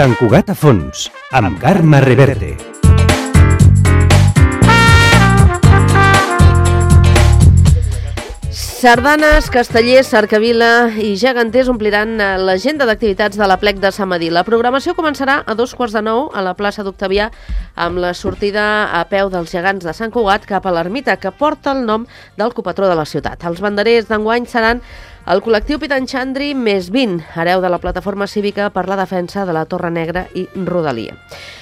Sant Cugat a fons, amb Carme Reverte. Sardanes, castellers, cercavila i geganters ompliran l'agenda d'activitats de l'Aplec de Sant Medir. La programació començarà a 8:45 a la plaça d'Octavià amb la sortida a peu dels gegants de Sant Cugat cap a l'ermita, que porta el nom del copatró de la ciutat. Els banderers d'enguany seran el col·lectiu Pitanxandri més 20, hereu de la plataforma cívica per la defensa de la Torre Negra i Rodalia.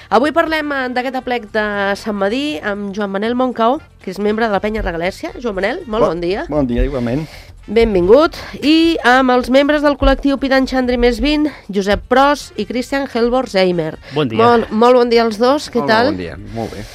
Avui parlem d'aquest aplec de Sant Medir amb Joan Manel Moncau, que és membre de la Penya Regalèssia. Joan Manel, molt bon dia. Bon dia, igualment. Benvingut. I amb els membres del col·lectiu Pitanxandri més 20, Josep Pros i Christian Helborg-Zeimer. Bon dia. Molt bon dia als dos, què tal? Bon dia, molt bé.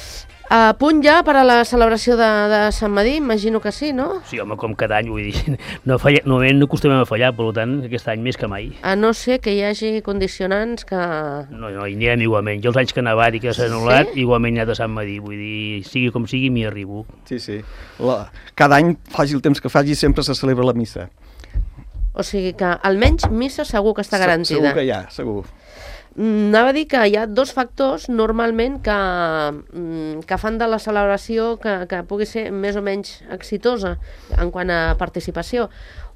A punt ja per a la celebració de Sant Medir? Imagino que sí, no? Sí, home, com cada any, vull dir, no acostumem a fallar, per tant, aquest any més que mai. A no ser que hi hagi condicionants que... No, hi anirem igualment. Jo els anys que ha nevat i que s'ha anul·lat, igualment hi ha de Sant Medir, vull dir, sigui com sigui, m'hi arribo. Sí. Cada any, faci el temps que faci, sempre se celebra la missa. O sigui que almenys missa segur que està garantida. Segur que hi ha, segur. Anava a dir que hi ha dos factors normalment que fan de la celebració que pugui ser més o menys exitosa en quant a participació.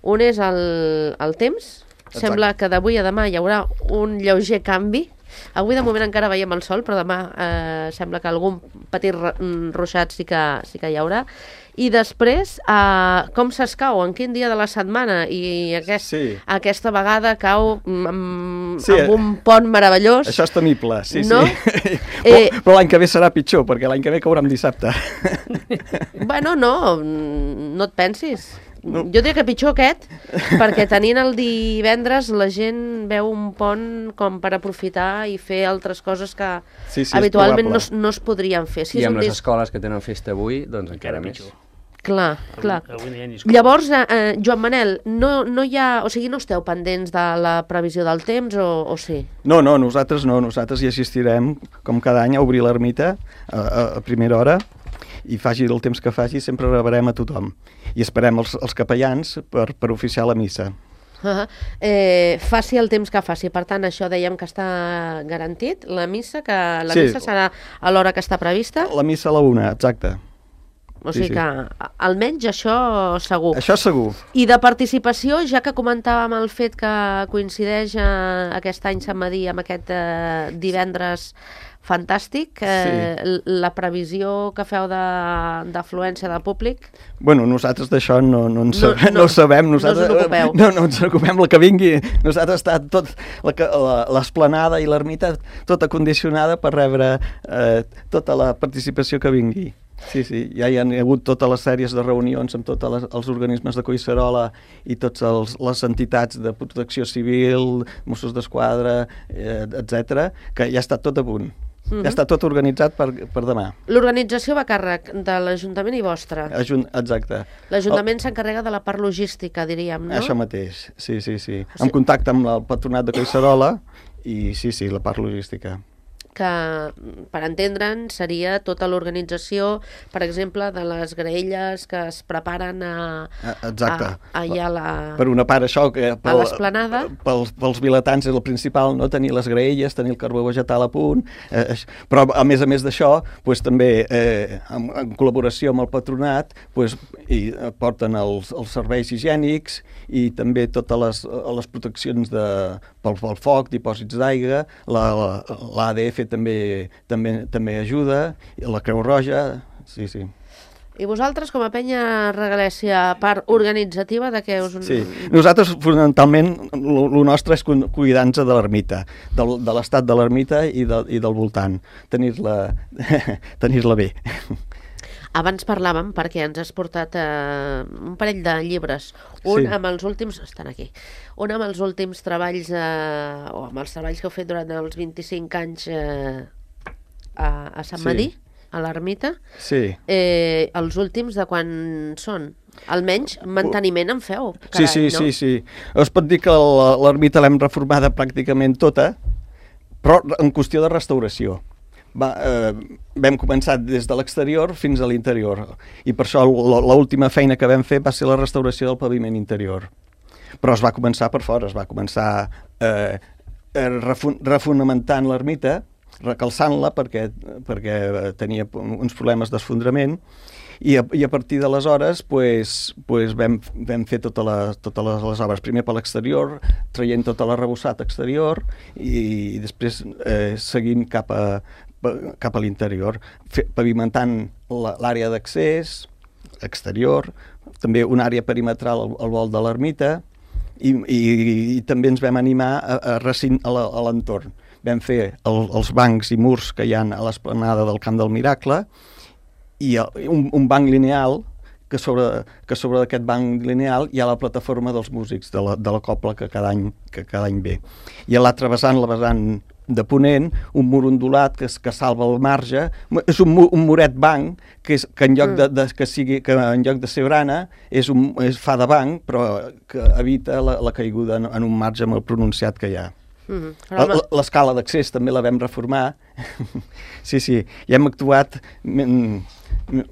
Un és el temps. Exacte. Sembla que d'avui a demà hi haurà un lleuger canvi. Avui de moment encara veiem el sol, però demà sembla que algun petit ruixat sí que hi haurà. I després, com s'escau, en quin dia de la setmana? I aquesta vegada cau amb un pont meravellós. Això és temible, sí. No? Però l'any que ve serà pitjor, perquè l'any que ve caurà en dissabte. Bueno, no et pensis. No. Jo diria que pitjor aquest, perquè tenint el divendres la gent veu un pont com per aprofitar i fer altres coses que habitualment no es podrien fer. I amb les escoles que tenen festa avui, doncs encara més. Clar. Llavors, Joan Manel, no hi ha... O sigui, no esteu pendents de la previsió del temps o sí? No, nosaltres hi assistirem, com cada any, a obrir l'ermita a primera hora, i faci el temps que faci, sempre rebrem a tothom. I esperem els capellans per oficiar la missa. Faci el temps que faci. Per tant, això dèiem que està garantit, la missa, que la missa serà a l'hora que està prevista? La missa a la 1, exacte. O sigui que almenys això segur. Això segur. I de participació, ja que comentàvem el fet que coincideix aquest any Sant Medir amb aquest divendres fantàstic, la previsió que feu d'afluència de públic? Bueno, nosaltres d'això no sabem. No us en ocupeu. No ens ocupem, el que vingui. Nosaltres està tot l'esplanada i l'ermita tota condicionada per rebre tota la participació que vingui. Sí, ja hi ha hagut totes les sèries de reunions amb tots els organismes de Collserola i totes les entitats de protecció civil, Mossos d'Esquadra, etc., que ja està tot a punt. Ja està tot organitzat per demà. L'organització va a càrrec de l'Ajuntament i vostra. Exacte. L'Ajuntament s'encarrega de la part logística, diríem, no? Això mateix, sí. En contacte amb el patronat de Collserola i la part logística. Que, per entendre'n, seria tota l'organització, per exemple, de les graelles que es preparen allà per una part això, que a l'esplanada. Pels vilatans és el principal, no? Tenir les graelles, tenir el carbó vegetal a punt, però a més d'això, també en col·laboració amb el patronat, porten els serveis higiènics i també totes les proteccions pel foc, dipòsits d'aigua, l'ADF també ajuda, la Creu Roja, sí. I vosaltres, com a Penya Regalèssia, part organitzativa de què us... Sí, nosaltres fonamentalment el nostre és cuidar-nos de l'ermita, de l'estat de l'ermita i del voltant, tenir-la bé. Abans parlàvem, perquè ens has portat un parell de llibres, amb els últims, estan aquí, un amb els últims treballs, o amb els treballs que heu fet durant els 25 anys a Sant Medir, a l'ermita. Sí. Els últims de quan són? Almenys manteniment en feu cada any, no? Sí. Es pot dir que l'ermita l'hem reformada pràcticament tota, però en qüestió de restauració. Vam començar des de l'exterior fins a l'interior i per això l'última feina que vam fer va ser la restauració del paviment interior, però es va començar per fora, es va començar refonamentant l'ermita, recalçant-la perquè tenia uns problemes d'esfondrament, i a partir d'aleshores vam fer totes les obres, primer per l'exterior, traient tot l'arrebossat exterior i després seguint cap a l'interior, pavimentant l'àrea d'accés exterior, també una àrea perimetral al volt de l'ermita, i també ens vam animar a l'entorn. Vam fer els bancs i murs que hi ha a l'esplanada del Camp del Miracle i un banc lineal que sobre aquest banc lineal hi ha la plataforma dels músics de la cobla que cada any ve. I a l'altre vessant, la vessant de ponent, un mur ondulat que salva el marge. És un muret banc que en lloc de ser brana fa de banc, però que evita la caiguda en un marge molt pronunciat que hi ha. L'escala d'accés també la vam reformar. Sí, i hem actuat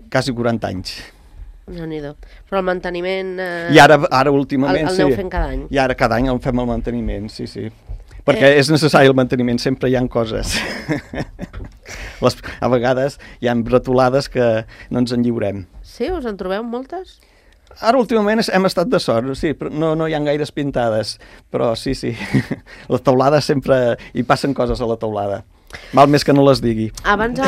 quasi 40 anys. Déu-n'hi-do. Però el manteniment... I ara últimament, el aneu fent cada any. I ara cada any el fem el manteniment, sí. Perquè és necessari el manteniment, sempre hi ha coses. A vegades hi ha bretolades que no ens en lliurem. Sí? Us en trobeu moltes? Ara últimament hem estat de sort, sí, però no hi ha gaires pintades, però sí. La teulada sempre... hi passen coses a la teulada. Mal més que no les digui. Abans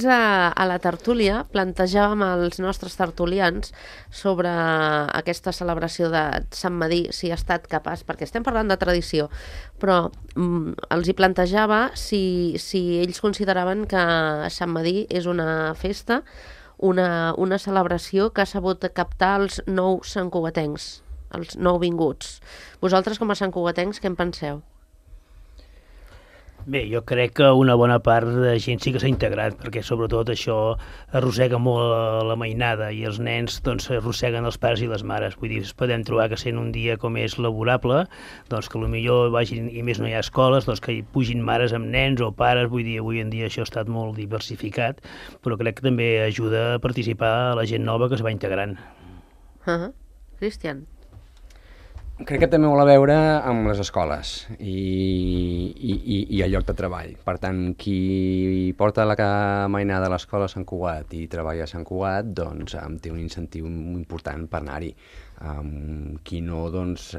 a la tertúlia plantejàvem als nostres tertulians sobre aquesta celebració de Sant Medir, si ha estat capaç, perquè estem parlant de tradició, però els hi plantejava si ells consideraven que Sant Medir és una festa, una celebració que ha sabut captar els nous santcugatencs, els nouvinguts. Vosaltres, com a santcugatencs, què en penseu? Bé, jo crec que una bona part de gent sí que s'ha integrat, perquè sobretot això arrossega molt la mainada i els nens doncs arrosseguen els pares i les mares. Vull dir, podem trobar que sent un dia com és laborable, doncs que potser vagin, i més no hi ha escoles, doncs que hi pugin mares amb nens o pares. Vull dir, avui en dia això ha estat molt diversificat, però crec que també ajuda a participar a la gent nova que es va integrant. Cristian? Crec que té molt a veure amb les escoles i el lloc de treball. Per tant, qui porta la mainada a l'escola a Sant Cugat i treballa a Sant Cugat, doncs té un incentiu important per anar-hi. Qui no, doncs,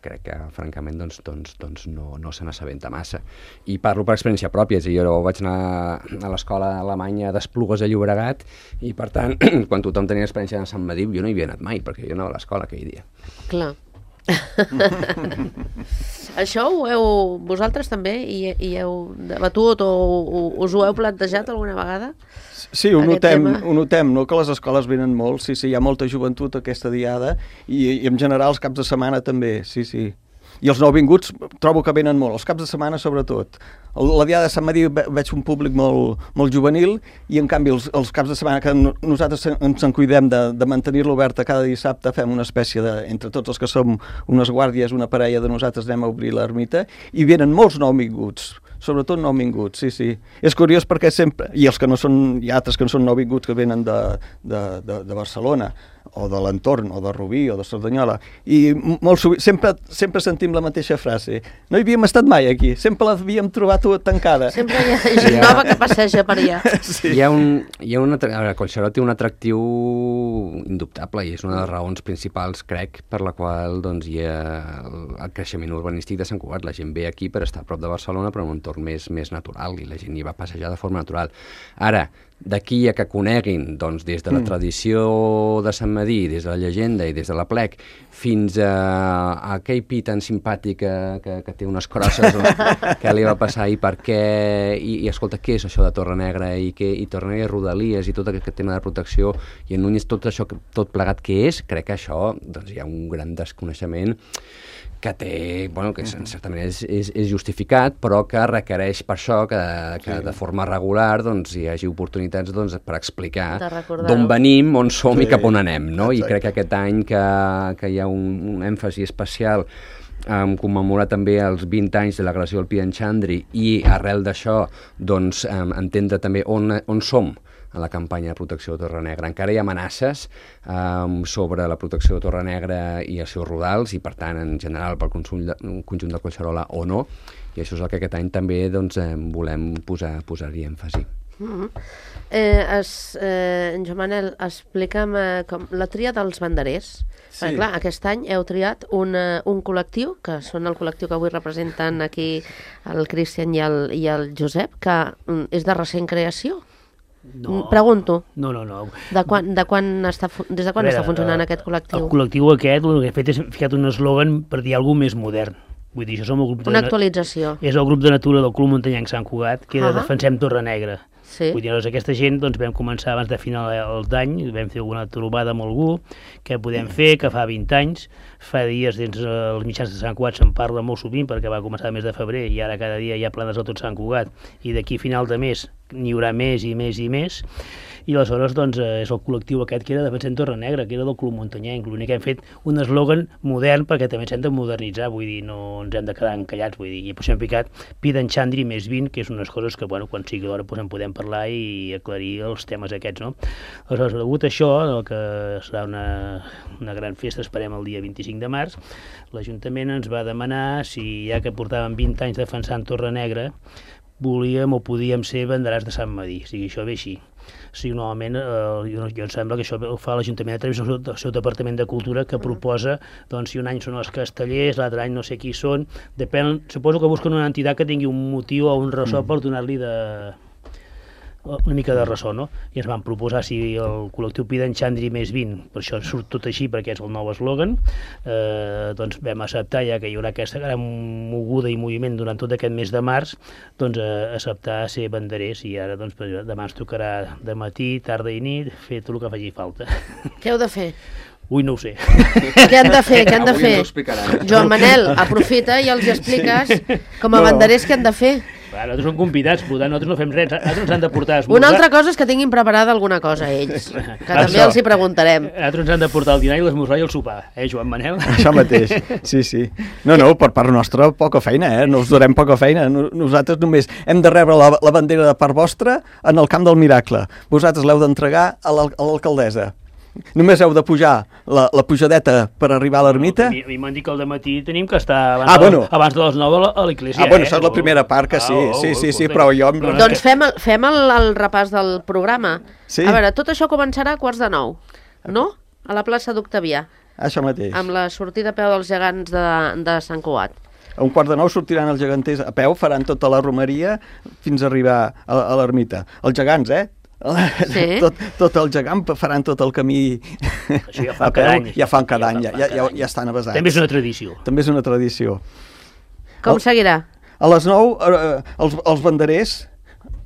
crec que, francament, doncs no se n'assabenta massa. I parlo per experiència pròpia, és a dir, jo vaig anar a l'escola alemanya d'Esplugues a Llobregat i, per tant, quan tothom tenia experiència de Sant Medir, jo no hi havia anat mai, perquè jo anava a l'escola aquell dia. Clar. Això vosaltres també hi heu debatut o us ho heu plantejat alguna vegada? Sí, ho notem, no? Que les escoles venen molt, sí, hi ha molta joventut aquesta diada i en general els caps de setmana també, sí. I els nouvinguts trobo que venen molt, els caps de setmana sobretot. La diada de Sant Medir veig un públic molt juvenil i en canvi els caps de setmana que nosaltres ens en cuidem de mantenir-lo oberta cada dissabte, fem una espècie de, entre tots els que som unes guàrdies, una parella de nosaltres anem a obrir l'ermita i venen molts nouvinguts, sobretot nouvinguts, sí. És curiós perquè sempre, i els que no són, hi ha altres que no són nouvinguts que venen de Barcelona o de l'entorn, o de Rubí, o de Cerdanyola, i molt sovint, sempre sentim la mateixa frase. No hi havíem estat mai aquí, sempre l'havíem trobat tancada. Sempre hi ha gent nova que passeja per allà. Sí. Collserola té un atractiu indubtable i és una de les raons principals, crec, per la qual doncs, hi ha el creixement urbanístic de Sant Cugat. La gent ve aquí per estar a prop de Barcelona, però en un entorn més natural, i la gent hi va passejar de forma natural. Ara, d'aquí a que coneguin, doncs, des de la tradició de Sant Medir, des de la llegenda i des de l'aplec, fins a aquell pi tan simpàtic que té unes crosses, què li va passar i per què, i escolta, què és això de Torrenegra i Torrenegra i Rodalies i tot aquest tema de protecció, i en Núñez tot això, tot plegat què és, crec que això, doncs, hi ha un gran desconeixement que té, bueno, que en certa manera és justificat, però que requereix per això que de forma regular doncs, hi hagi oportunitats doncs, per explicar d'on venim, on som i cap on anem, no? I crec que aquest any que hi ha un èmfasi especial commemorar també els 20 anys de l'agressió al Pi d'en Xandri i arrel d'això doncs, entendre també on som la campanya de protecció de Torre Negra. Encara hi ha amenaces sobre la protecció de Torre Negra i els seus rodals, i per tant, en general, pel conjunt de Collserola o no, i això és el que aquest any també volem posar-hi èmfasi. Joan Manel, explica'm la tria dels banderers. Sí. Clar, aquest any heu triat un col·lectiu, que són el col·lectiu que avui representen aquí el Cristian i el Josep, que és de recent creació. No. Pregunto. No. Des de quan està funcionant aquest col·lectiu? El col·lectiu aquest, el que he fet és ficat un eslògan per dir alguna cosa més modern. Vull dir, això som el grup Una actualització. És el grup de natura del Club Muntanyenc Sant Cugat, que era Defensem Torre Negra. Sí. Vull dir, llavors aquesta gent vam començar abans de final d'any, vam fer alguna trobada amb algú, què podem fer, que fa 20 anys, fa dies dins els mitjans de Sant Cugat se'n parla molt sovint perquè va començar el mes de febrer i ara cada dia hi ha planes a tot Sant Cugat i d'aquí a final de mes n'hi haurà més i més i més. I aleshores doncs, és el col·lectiu aquest que era Defensem Torre Negra, que era del Club Muntanyenc. L'únic que hem fet un eslògan modern perquè també ens hem de modernitzar, vull dir, no ens hem de quedar encallats, vull dir, i per això hem picat Piden Xandri més 20, que és unes coses que, bueno, quan sigui l'hora en podem parlar i aclarir els temes aquests, no? Aleshores, degut a això, que serà una gran festa, esperem el dia 25 de març, l'Ajuntament ens va demanar si, ja que portàvem 20 anys defensant Torre Negra, volíem o podíem ser banderars de Sant Medir, o sigui, això ve així. O sigui, normalment, jo em sembla que això ho fa l'Ajuntament a través del seu Departament de Cultura, que proposa, doncs, si un any són els castellers, l'altre any no sé qui són, depèn, suposo que busquen una entitat que tingui un motiu o un ressò per donar-li una mica de ressò, no? I ens van proposar si el col·lectiu Piden Xandri més 20, per això surt tot així, perquè és el nou eslògan, doncs vam acceptar, ja que hi haurà aquesta gran moguda i moviment durant tot aquest mes de març, doncs acceptar ser banderers, i ara doncs demà ens tocarà de matí, tarda i nit, fer tot el que faci falta. Què heu de fer? Ui, no ho sé. Què han de fer? Avui ens ho explicaran. Joan Manel, aprofita i els expliques com a banderers què han de fer. Nosaltres som convidats, per tant, nosaltres no fem res, nosaltres ens han de portar a esmorzar. Una altra cosa és que tinguin preparada alguna cosa ells, que també els hi preguntarem. Nosaltres ens han de portar el dinar i l'esmorzar i el sopar, Joan Manel? Això mateix, sí. No, per part nostra, poca feina, no us donem poca feina. Nosaltres només hem de rebre la bandera de part vostra en el Camp del Miracle. Vosaltres l'heu d'entregar a l'alcaldessa. Només heu de pujar la pujadeta per arribar a l'ermita. A mi m'han dit que al dematí tenim que estar abans de les 9 a l'església. Bueno, això és la primera part, que sí, però jo... Doncs fem el repàs del programa. Sí? A veure, tot això començarà a 8:45, no? A la plaça d'Octavià. Això mateix. Amb la sortida a peu dels gegants de Sant Cugat. A 8:45 sortiran els geganters a peu, faran tota la romeria fins a arribar a l'ermita. Els gegants, Sí. Tot el gegant faran tot el camí això ja fa cada any. Ja fan cada any, ja estan avasats. També és una tradició. També és una tradició. Com seguirà? A les 9 els banderers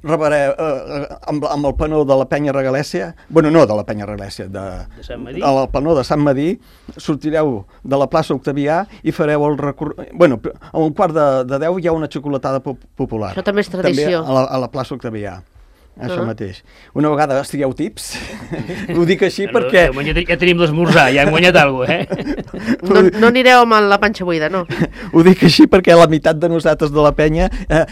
amb el penó de la Penya Regalèssia, bueno, no de la Penya Regalèssia, de Sant Medir. El penó de Sant Medir, sortireu de la plaça Octavià i fareu el recorregut. Bueno, a 9:45 hi ha una xocolatada popular. Això també és tradició. També a la plaça Octavià. Això mateix. Una vegada estigueu tips, ho dic així perquè... Ja tenim l'esmorzar, ja hem guanyat alguna cosa, No anireu amb la panxa buida, no? Ho dic així perquè la meitat de nosaltres de la penya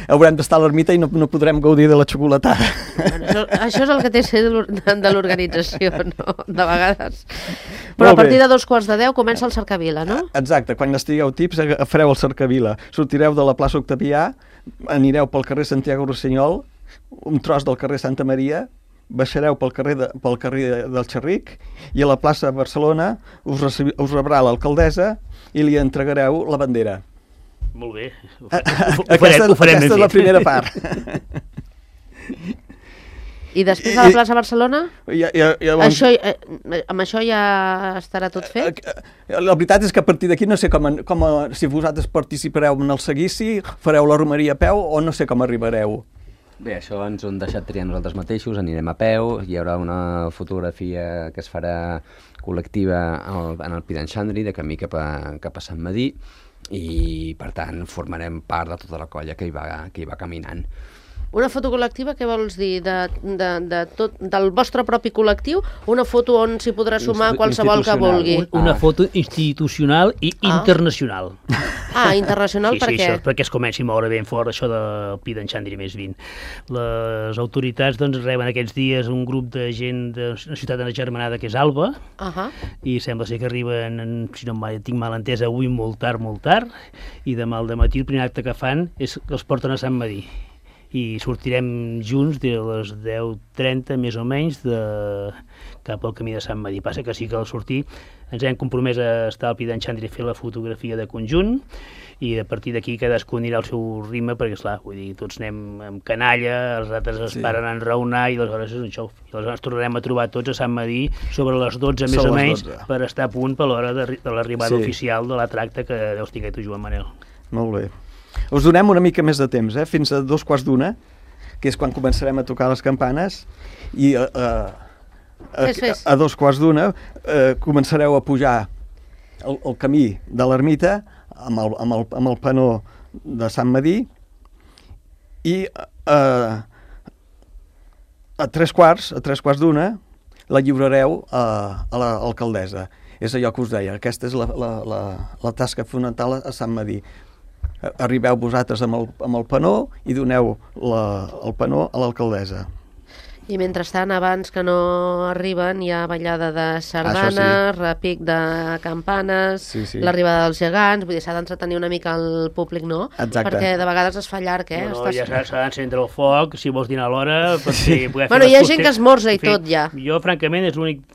haurem d'estar a l'ermita i no podrem gaudir de la xocolatada. Això és el que té ser de l'organització, no? De vegades. Però a partir de 9:45 comença el Cercavila, no? Exacte, quan estigueu tips fareu el Cercavila. Sortireu de la plaça Octavià, anireu pel carrer Santiago Rossinyol, un tros del carrer Santa Maria, baixareu pel carrer del Xerric i a la plaça Barcelona us rebrà l'alcaldessa i li entregareu la bandera. Molt bé. Aquesta és la primera part. I després a la plaça Barcelona? Amb això ja estarà tot fet? La veritat és que a partir d'aquí no sé si vosaltres participareu en el seguici, fareu la romeria a peu o no sé com arribareu. Bé, això ens ho hem deixat triar nosaltres mateixos, anirem a peu, hi haurà una fotografia que es farà col·lectiva en el Piden Xandri, de camí cap a Sant Medir, i per tant formarem part de tota la colla que hi va caminant. Una foto col·lectiva, què vols dir? Del vostre propi col·lectiu? Una foto on s'hi podrà sumar qualsevol que vulgui? Una foto institucional i internacional. Internacional per què? Sí, perquè es comenci a moure ben fort això del Pi d'en Xandri més 20. Les autoritats doncs, reben aquests dies un grup de gent de una ciutat agermanada que és Alba, i sembla ser que arriben, si no tinc mal entès, avui molt tard, i demà al dematí el primer acte que fan és que els porten a Sant Medir. I sortirem junts de les 10:30 més o menys cap al camí de Sant Medir. Passa que sí que al sortir ens hem compromès a estar al Pi d'en Xandri a fer la fotografia de conjunt, i a partir d'aquí cadascú anirà al seu ritme, perquè esclar, vull dir, tots anem amb canalla, els altres es paren a enraonar i aleshores és un xou. I aleshores tornarem a trobar tots a Sant Medir sobre les 12 més o menys per estar a punt per l'hora de l'arribada oficial de la tracta que deus tinguer tu, Joan Manel. Molt bé. Us donem una mica més de temps, fins a 2:15, que és quan començarem a tocar les campanes, i a 2:15 començareu a pujar el camí de l'ermita amb el penó de Sant Medir, i a 3:15 la lliurareu a l'alcaldessa. És allò que us deia, aquesta és la tasca fonamental a Sant Medir. Arribeu vosaltres amb el penó i doneu el penó a l'alcaldessa. I mentrestant, abans que no arriben, hi ha ballada de sardanes, repic de campanes, l'arribada dels gegants, vull dir, s'ha d'entretenir una mica el públic, no? Exacte. Perquè de vegades es fa llarg, No, ja s'ha d'encendre el foc, si vols dinar a l'hora, perquè poder fer Bueno, hi ha gent que esmorza i tot, ja. Jo, francament, és l'únic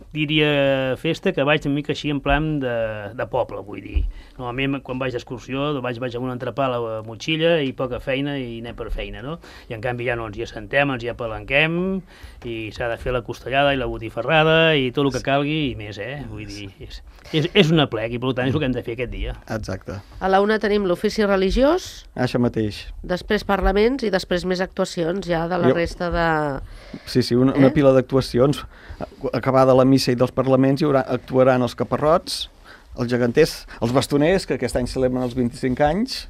diria festa que vaig una mica així en plan de poble, vull dir. Normalment quan vaig d'excursió vaig amb un entrepà a la motxilla i poca feina i anem per feina, no? I en canvi ja no, ens hi assentem, ens hi apalanquem i s'ha de fer la costellada i la botifarrada i tot el que calgui i més, vull dir, és un aplec i per tant és el que hem de fer aquest dia. Exacte. A la 1 tenim l'ofici religiós, això mateix. Després parlaments i després més actuacions ja de la resta de... Sí, una pila d'actuacions. Acabada la missa i dels parlaments actuaran els caparrots, els geganters, els bastoners, que aquest any celebren els 25 anys,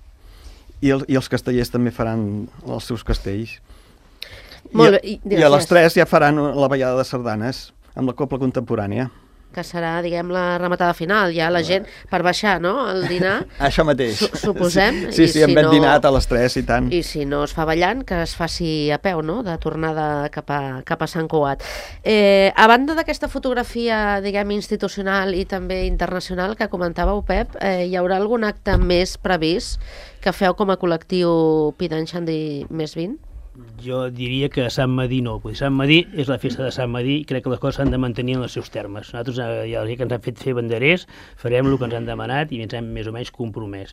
i els castellers també faran els seus castells. Molt bé, I a les 3 ja faran la ballada de sardanes amb la cobla contemporània. Que serà, diguem, la rematada final, ja la gent per baixar, no?, el dinar. Això mateix. Suposem. Sí, hem ben dinat a les 3 i tant. I si no es fa ballant, que es faci a peu, no?, de tornada cap a Sant Cugat. A banda d'aquesta fotografia, diguem, institucional i també internacional que comentàveu, Pep, hi haurà algun acte més previst que feu com a col·lectiu Pi d'en Xandri més 20? Jo diria que a Sant Medir no, perquè Sant Medir és la festa de Sant Medir i crec que les coses s'han de mantenir en els seus termes. Nosaltres, ja que ens han fet fer banderers, farem el que ens han demanat i ens hem més o menys compromès.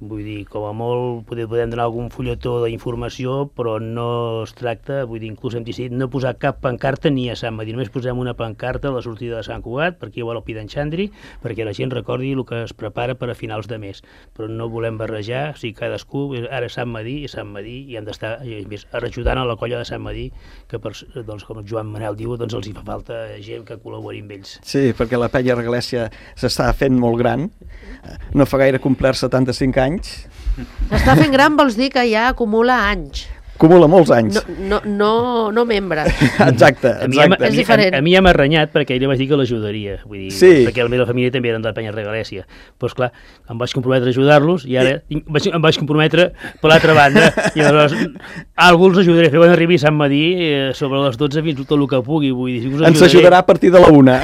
Vull dir, com a molt podem donar algun fulletó d'informació, però no es tracta, vull dir, inclús hem decidit no posar cap pancarta ni a Sant Medir, només posem una pancarta a la sortida de Sant Cugat, per aquí vol el Pi d'en Xandri, perquè la gent recordi el que es prepara per a finals de mes. Però no volem barrejar, o sigui, cadascú, ara Sant Medir i hem d'estar ajudant a la colla de Sant Medir, que doncs, com el Joan Manel diu, doncs els hi fa falta gent que col·labori amb ells. Sí, perquè la penya Reglècia s'està fent molt gran, no fa gaire complir 75 anys. S'està fent gran vols dir que ja acumula anys. Acumula molts anys. No membre. Exacte. És diferent. A mi ja m'ha renyat perquè ell li vaig dir que l'ajudaria, vull dir, perquè la meva família també eren de la penya Regalècia. Però esclar, em vaig comprometre a ajudar-los i ara em vaig comprometre per l'altra banda i aleshores algú els ajudaré a fer quan arribi a Sant Medir sobre les 12 fins tot el que pugui, vull dir. Ens ajudarà a partir de la 1.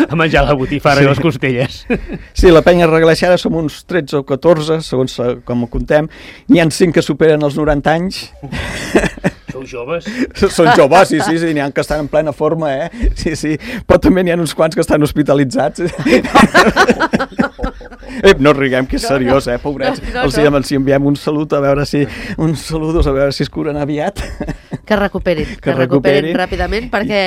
A menjar la botifarra i les costelles. Sí, la penya Regalècia ara som uns 13 o 14, segons com ho contem. N'hi ha 5 que superen els 90 anys. Sou joves? Són joves, sí, n'hi ha que estan en plena forma, sí, però també n'hi ha uns quants que estan hospitalitzats. No riguem, que és seriós, pobrets. Els enviem un salut, a veure si es curen aviat. Que recuperin ràpidament, perquè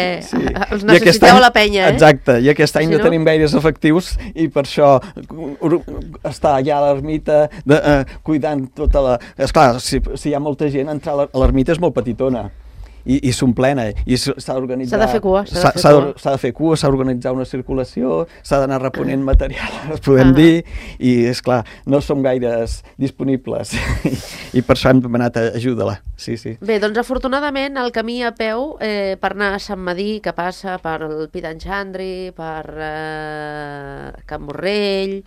els necessiteu a la penya, Exacte, i aquest any no tenim gaires efectius i per això està allà a l'ermita cuidant tota la... Esclar, si hi ha molta gent, entrar a l'ermita és molt petitona i s'omplena, i s'ha d'organitzar... S'ha de fer cua, s'ha de fer cua, s'ha d'organitzar una circulació, s'ha d'anar reponent material, podem dir, i és clar, no som gaires disponibles, i per això hem demanat ajuda-la, sí. Bé, doncs afortunadament el camí a peu per anar a Sant Medir, que passa per el Pi d'en Xandri, per Can Borrell,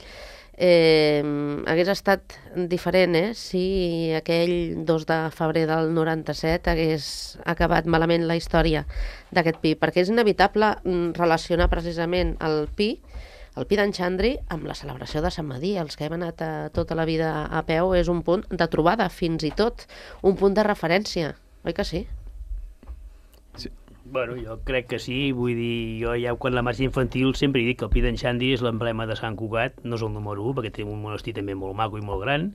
hagués estat diferent, si aquell 2 de febrer del 97 hagués acabat malament la història d'aquest Pi, perquè és inevitable relacionar precisament el Pi d'en Xandri amb la celebració de Sant Medir. Els que hem anat tota la vida a peu és un punt de trobada, fins i tot un punt de referència, oi que sí? Bueno, jo crec que sí, vull dir, jo ja quan la marxa infantil sempre he dit que el Pi d'en Xandri és l'emblema de Sant Cugat, no és el número 1, perquè té un monestir també molt maco i molt gran,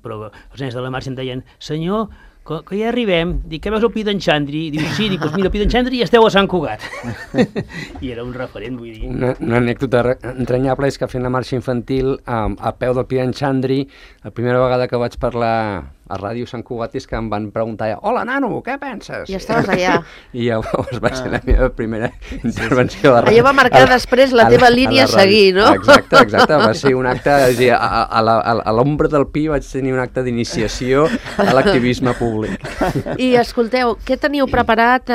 però els nens de la marxa em deien, senyor, que ja arribem, dic, què veus el Pi d'en Xandri? Diu, sí, dic, doncs mira, el Pi d'en Xandri ja esteu a Sant Cugat. I era un referent, vull dir. Una anècdota entranyable és que fent la marxa infantil a peu del Pi d'en Xandri, la primera vegada que vaig parlar a Ràdio Sant Cugat és que em van preguntar, hola, nano, què penses? I estaves allà. I llavors va ser la meva primera intervenció de ràdio. Allò va marcar després la teva línia a seguir, no? Exacte, va ser un acte, és a dir, a l'ombra del Pi vaig tenir un acte d'iniciació a l'activisme públic. I escolteu, què teniu preparat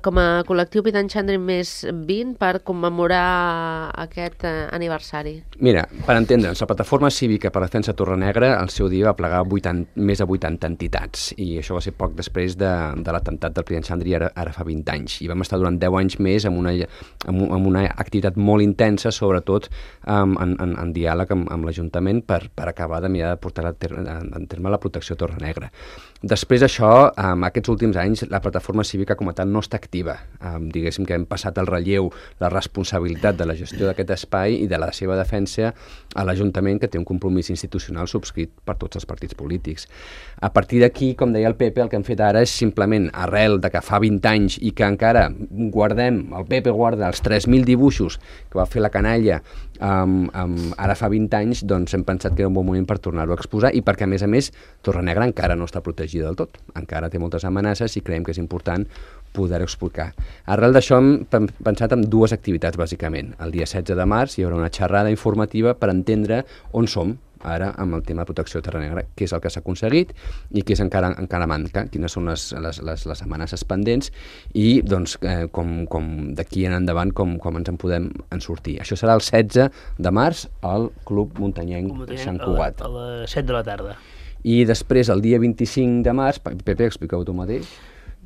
com a col·lectiu Pi d'en Xandri més 20 per commemorar aquest aniversari? Mira, per entendre'ns, la Plataforma Cívica per la Defensa de Torrenegra al seu dia va plegar més de 80 entitats, i això va ser poc després de l'atemptat del Pi d'en Xandri ara fa 20 anys, i vam estar durant 10 anys més amb una activitat molt intensa, sobretot en diàleg amb l'Ajuntament per acabar de mirar de portar en terme la protecció a Torrenegra. Després d'això, aquests últims anys, la Plataforma Cívica com a tal no està activa. Diguéssim que hem passat el relleu, la responsabilitat de la gestió d'aquest espai i de la seva defensa a l'Ajuntament, que té un compromís institucional subscrit per tots els partits polítics. A partir d'aquí, com deia el Pepe, el que hem fet ara és simplement, arrel de que fa 20 anys i que encara el Pepe guarda els 3.000 dibuixos que va fer la canalla ara fa 20 anys, doncs hem pensat que era un bon moment per tornar-ho a exposar, i perquè, a més, Torrenegra encara no està protegida del tot. Encara té moltes amenaces i creiem que és important poder-ho explicar. Arrel d'això hem pensat en 2 activitats, bàsicament. El dia 16 de març hi haurà una xerrada informativa per entendre on som ara amb el tema de protecció de Torrenegra, què és el que s'ha aconseguit i què és encara manca, quines són les amenaces pendents i doncs, com d'aquí en endavant com ens en podem sortir. Això serà el 16 de març al Club Muntanyenc de Sant Cugat. A les 7 de la tarda. I després, el dia 25 de març, Pepe, explica-ho tu mateix,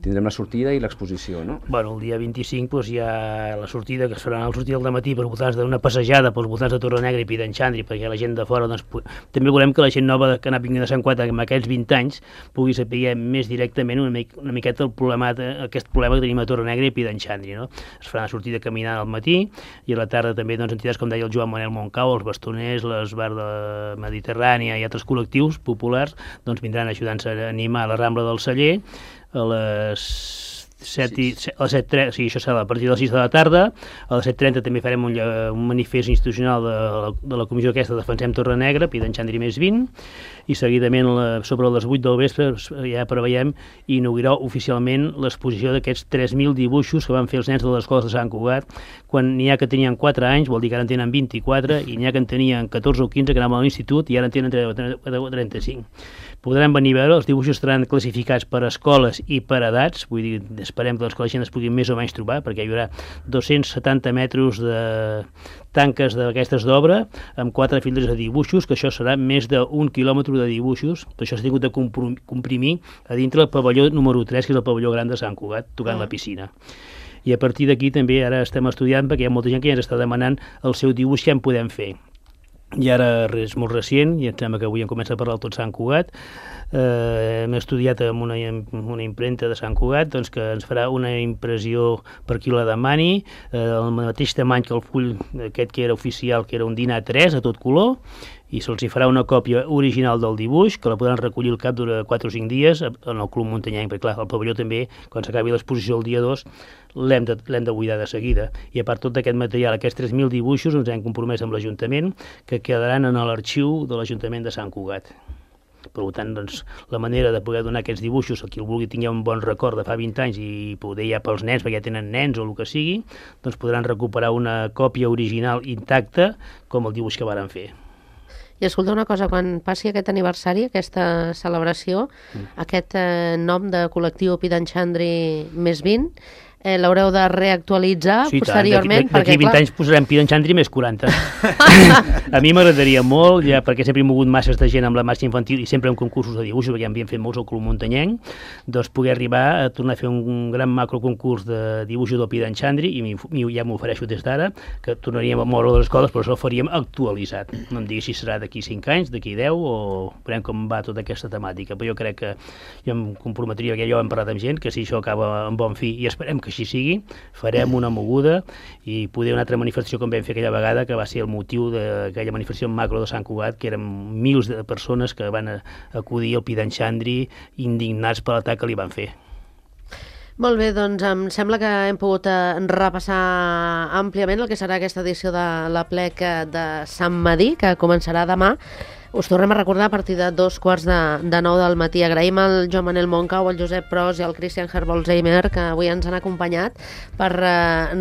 tindrem la sortida i l'exposició, no? Bueno, el dia 25 doncs, hi ha la sortida, que serà la sortida del matí per voltants d'una passejada pels voltants de Torrenegra i Pi d'en Xandri, perquè la gent de fora, doncs, també volem que la gent nova que ha anat vingut de Sant Cugat amb aquests 20 anys pugui saber més directament una miqueta aquest problema que tenim a Torrenegra i Pi d'en Xandri, no? Es farà una sortida caminant al matí i a la tarda també doncs, entitats com deia el Joan Manel Montcau, els Bastoners, l'Esbar de Mediterrània i altres col·lectius populars doncs, vindran ajudant-se a animar la Rambla del Celler a les 7:30, sí, això serà a partir de les 6 de la tarda. A les 7:30 també farem un manifest institucional de la comissió aquesta Defensem Torrenegra, Pi d'en Xandri més 20, i seguidament sobre les 8 del vespre ja preveiem inaugurar oficialment l'exposició d'aquests 3.000 dibuixos que van fer els nens de les escoles de Sant Cugat, quan n'hi ha que tenien 4 anys, vol dir que ara en tenen 24, i n'hi ha que en tenien 14 o 15 que anaven a l'institut i ara en tenen 35. Podran venir a veure, els dibuixos estaran classificats per escoles i per edats, vull dir, esperem que la gent es pugui més o menys trobar, perquè hi haurà 270 metres de tanques d'aquestes d'obra, amb 4 files de dibuixos, que això serà més d'1 quilòmetre de dibuixos, per això s'ha tingut de comprimir a dintre el pavelló número 3, que és el pavelló gran de Sant Cugat, tocant la piscina. I a partir d'aquí també ara estem estudiant, perquè hi ha molta gent que ja ens està demanant el seu dibuix que en podem fer. I ara és molt recient, i em sembla que avui em comença a parlar tot Sant Cugat. Hem estudiat amb una impremta de Sant Cugat doncs, que ens farà una impressió per qui la demani, el mateix tamany que el full aquest que era oficial, que era un dinar 3 a tot color, i se'ls farà una còpia original del dibuix, que la podran recollir al cap de 4 o 5 dies en el Club Muntanyenc, perquè clar, el pavelló també, quan s'acabi l'exposició el dia 2, l'hem de buidar de seguida. I a part tot aquest material, aquests 3.000 dibuixos, ens hem compromès amb l'Ajuntament, que quedaran en l'arxiu de l'Ajuntament de Sant Cugat. Per tant, doncs, la manera de poder donar aquests dibuixos a qui el vulgui tingui un bon record de fa 20 anys i poder ja pels nens, perquè ja tenen nens o el que sigui, doncs podran recuperar una còpia original intacta com el dibuix que varen fer. I escolta una cosa, quan passi aquest aniversari, aquesta celebració, aquest nom de col·lectiu Pidanchandri més 20, l'haureu de reactualitzar posteriorment. D'aquí 20 anys posarem Pidanchandri més 40. A mi m'agradaria molt, ja perquè sempre he mogut masses de gent amb la marxa infantil i sempre en concursos de dibuixos, perquè ja n'havien fet molts al Club Muntanyenc, doncs poder arribar a tornar a fer un gran macroconcurs de dibuixos del Pidanchandri i ja m'ofereixo des d'ara que tornaríem a moure les escoles, però això ho faríem actualitzat. No em digui si serà d'aquí 5 anys, d'aquí 10 o veurem com va tota aquesta temàtica, però jo crec que jo em comprometria, perquè ja ho hem parlat amb gent, que si això acaba en bon fi i esperem que així sigui, farem una moguda i poder una altra manifestació com vam fer aquella vegada, que va ser el motiu d'aquella manifestació macro de Sant Cugat, que eren mils de persones que van acudir al Pidanchandri indignats per l'atac que li van fer. Molt bé, doncs em sembla que hem pogut repassar àmpliament el que serà aquesta edició de l'Aplec de Sant Medir, que començarà demà. Us tornem a recordar a partir de 2:15 del matí. Agraïm al Joan Manel Moncau, al Josep Pros i al Christian Herbolzheimer, que avui ens han acompanyat per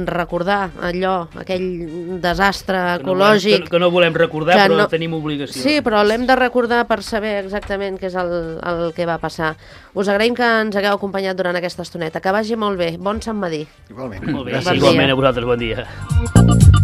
recordar allò, aquell desastre ecològic. Que no volem recordar, però no tenim obligació. Sí, però l'hem de recordar per saber exactament què és el que va passar. Us agraïm que ens hagueu acompanyat durant aquesta estoneta. Que vagi molt bé. Bon Sant Medir. Igualment. Molt bé, Bon igualment dia. a vosaltres, bon dia.